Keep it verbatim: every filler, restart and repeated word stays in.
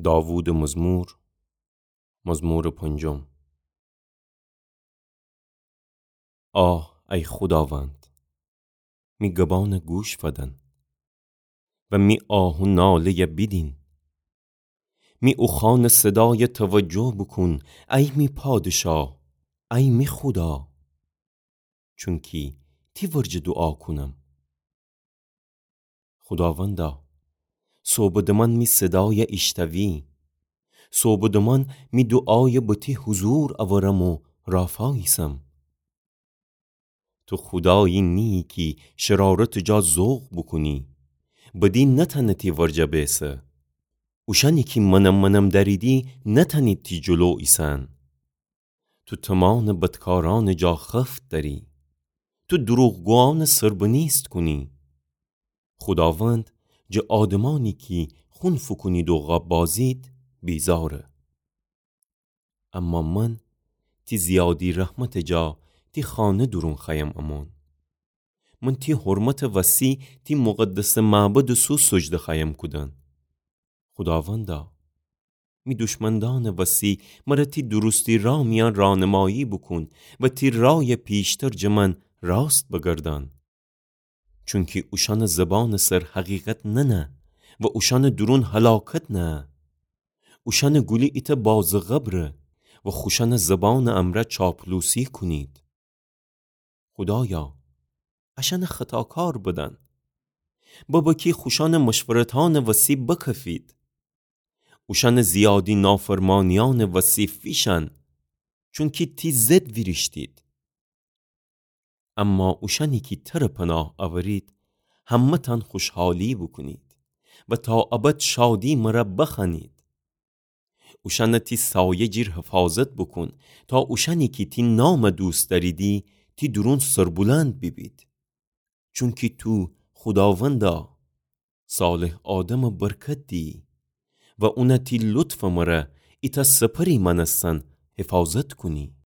داوودٚ مزمور، مزمورٚ پنجم. آه، ای خوداوند، می گبأنَ گوش فدن و می آه و ناله‌یَ بیدین. می اوخوأنٚ صدایَ توجه بوکون، ای می پادشاه، ای می خودا، چونکی تی ورجه دوعا کونم. خوداوندا، سوبٚ دمأن می صدایَ ایشتوی. سوبٚ دمأن می دوعایَ به تی حضور اورم و رافاییسم. تو خودایی نییی کی شرارتٚ جا ذوق بوکونی، بدی نتأنه تی ورجه بیسه. اوشأنی کی منم منم دأریدی نتأنید تی جلو ایسن. تو تومانٚ بدکارأنٚ جا خفت دأری. تو دروغگویأنَ سربنیست کونی. خوداوند جٚه آدمأنی کی خون فوکونید و غاب بازید بیزاره. اما من تی زیادی رحمتٚ جا تی خانه دورون خوأیم امون. من تی حرمتٚ وسی تی مقدسٚ معبدٚ سو سجده خوأیم کودن. خوداوندا، می دشمندأنٚ وسی مر تی درستی رأ میأن رانمایی بوکون و تی رأیَ پیشتر جٚه من راست بگردأن. چونکی اوشأنٚ زبانٚ سر حقیقت ننه و اوشأنٚ دورون هلاکت نهه. اوشأنٚ گولی ایتأ بازٚ قبره و خوشأنٚ زبانٚ امرأ چاپلوسی کونید. خودایا، اشأنَ خطاکار بدن. ببه کی خوشأنٚ مشورتأنٚ وسی بکفید. اوشأنٚ زیادی نافرمانیأنٚ وسی فیشأن، چونکی تی ضد ویریشتید. اما اوشأنی کی ترَ پناه اورید، همه‌تأن خوشحالی بوکونید و تا ابد شادی مر بخوأنید. اوشأنَ تی سایه جیر حفاظت بوکون، تا اوشأنی کی تی نامَ دوست دأریدی، تی دورون سربلند بیبید. چونکی تو، خوداوندا، صالح آدمَ برکت دیی و اونَ تی لطفٚ مر ایتأ سپری مأنستن حفاظت کونی.